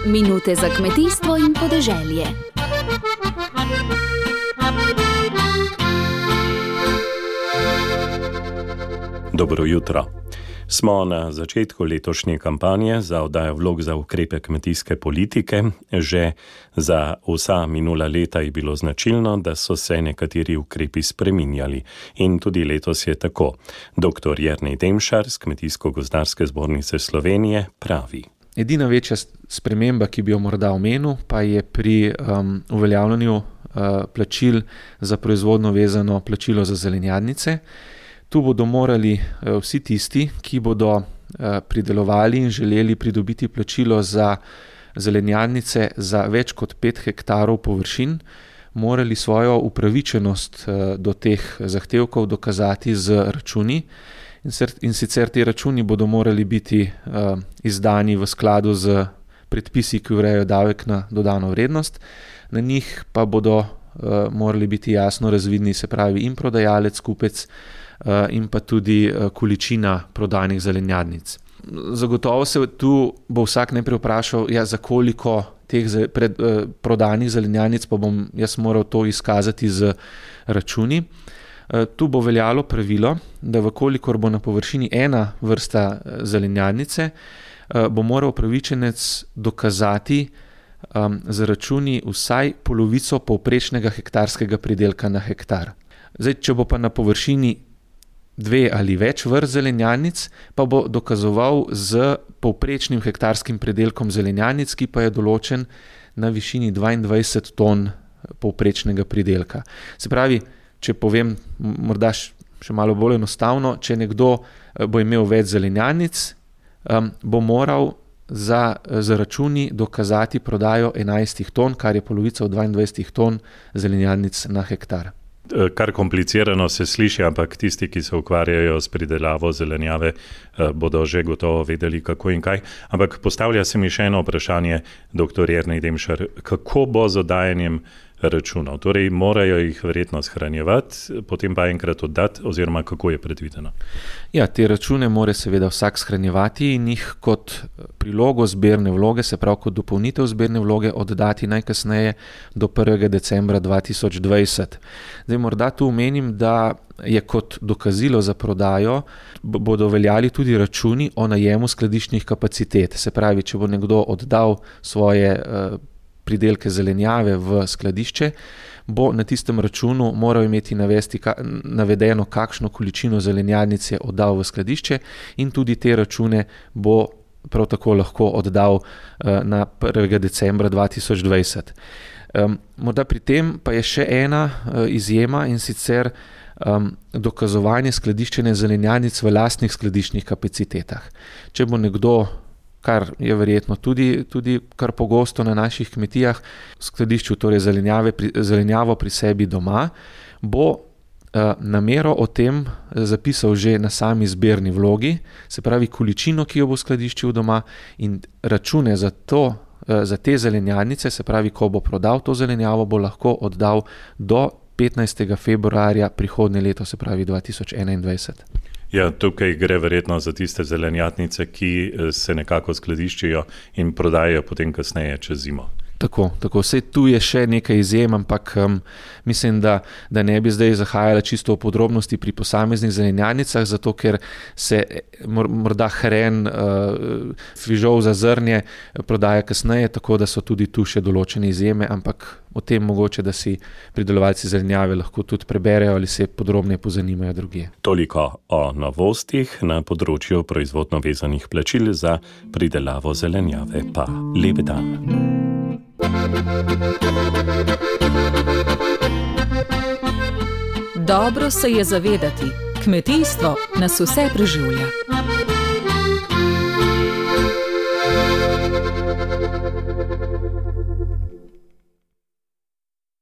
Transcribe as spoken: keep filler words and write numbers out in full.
Minute za kmetijstvo in podeželje. Dobro jutro. Smo na začetku letošnje kampanje za oddajo vlog za ukrepe kmetijske politike. Že za vsa minula leta je bilo značilno, da so se nekateri ukrepi spreminjali. In tudi letos je tako. Doktor Jernej Demšar z Kmetijsko-gozdarske zbornice Slovenije pravi. Edina večja sprememba, ki bi jo morda omenil, pa je pri um, uveljavljanju uh, plačil za proizvodno vezano plačilo za zelenjadnice. Tu bodo morali uh, vsi tisti, ki bodo uh, pridelovali in želeli pridobiti plačilo za zelenjadnice za več kot pet hektarov površin, morali svojo upravičenost uh, do teh zahtevkov dokazati z računi. In sicer ti računi bodo morali biti uh, izdani v skladu z predpisi, ki urejajo davek na dodano vrednost. Na njih pa bodo uh, morali biti jasno razvidni, se pravi in prodajalec, kupec uh, in pa tudi uh, količina prodanih zelenjadnic. Zagotovo se tu bo vsak najprej vprašal, ja, za koliko teh pred, uh, prodanih zelenjadnic pa bom jaz moral to izkazati z računi. Tu bo veljalo pravilo, da vkolikor bo na površini ena vrsta zelenjadnice, bo moral upravičenec dokazati um, z računi vsaj polovico povprečnega hektarskega pridelka na hektar. Zdaj, če bo pa na površini dve ali več vrst zelenjadnic, pa bo dokazoval z povprečnim hektarskim pridelkom zelenjadnic, ki pa je določen na višini dvaindvajset ton povprečnega pridelka. Se pravi, če povem morda še malo bolj enostavno, če nekdo bo imel več zelenjadnic, um, bo moral za, za računi dokazati prodajo enajst ton, kar je polovica od dvaindvajset ton zelenjadnic na hektar. Kar komplicirano se sliši, ampak tisti, ki se ukvarjajo s pridelavo zelenjave, bodo že gotovo vedeli, kako in kaj. Ampak postavlja se mi še eno vprašanje, doktor Jernej Demšar, kako bo z oddajanjem računov? Torej, morajo jih verjetno shranjevati, potem pa enkrat oddati, oziroma kako je predvideno? Ja, te račune mora seveda vsak shranjevati in jih kot prilogo zbirne vloge, se pravi kot dopolnitev zbirne vloge, oddati najkasneje do prvega decembra dva tisoč dvajset. Zdaj, morda tu omenim, da je kot dokazilo za prodajo bodo veljali tudi računi o najemu skladiščnih kapacitet. Se pravi, če bo nekdo oddal svoje uh, pridelke zelenjave v skladišče, bo na tistem računu moral imeti navesti, ka, navedeno, kakšno količino zelenjadnic je oddal v skladišče in tudi te račune bo prav tako lahko oddal uh, na prvega decembra dva tisoč dvajset. Um, morda pri tem pa je še ena uh, izjema in sicer um, dokazovanje skladiščenja zelenjadnic v lastnih skladiščnih kapacitetah. Če bo nekdo, kar je verjetno tudi, tudi kar pogosto na naših kmetijah, v skladišču torej zelenjave, pri, zelenjavo pri sebi doma, bo uh, namero o tem zapisal že na sami zbirni vlogi, se pravi količino, ki jo bo skladiščil doma in račune za to, uh, za te zelenjadnice, se pravi, ko bo prodal to zelenjavo, bo lahko oddal do petnajstega februarja prihodnje leto, se pravi dva tisoč enaindvajset. Ja, tukaj gre verjetno za tiste zelenjadnice, ki se nekako skladiščijo in prodajajo potem kasneje čez zimo. Tako, tako. Vse tu je še nekaj izjem, ampak um, mislim, da, da ne bi zdaj zahajala čisto v podrobnosti pri posameznih zelenjadnicah, zato ker se morda hren uh, fižol za zrnje prodaja kasneje, tako da so tudi tu še določene izjeme, ampak o tem mogoče, da si pridelovalci zelenjave lahko tudi preberejo ali se podrobneje pozanimajo drugje. Toliko o novostih na področju proizvodno vezanih plačil za pridelavo zelenjave. Pa lep dan. Dobro se je zavedati, kmetijstvo nas vse preživlja.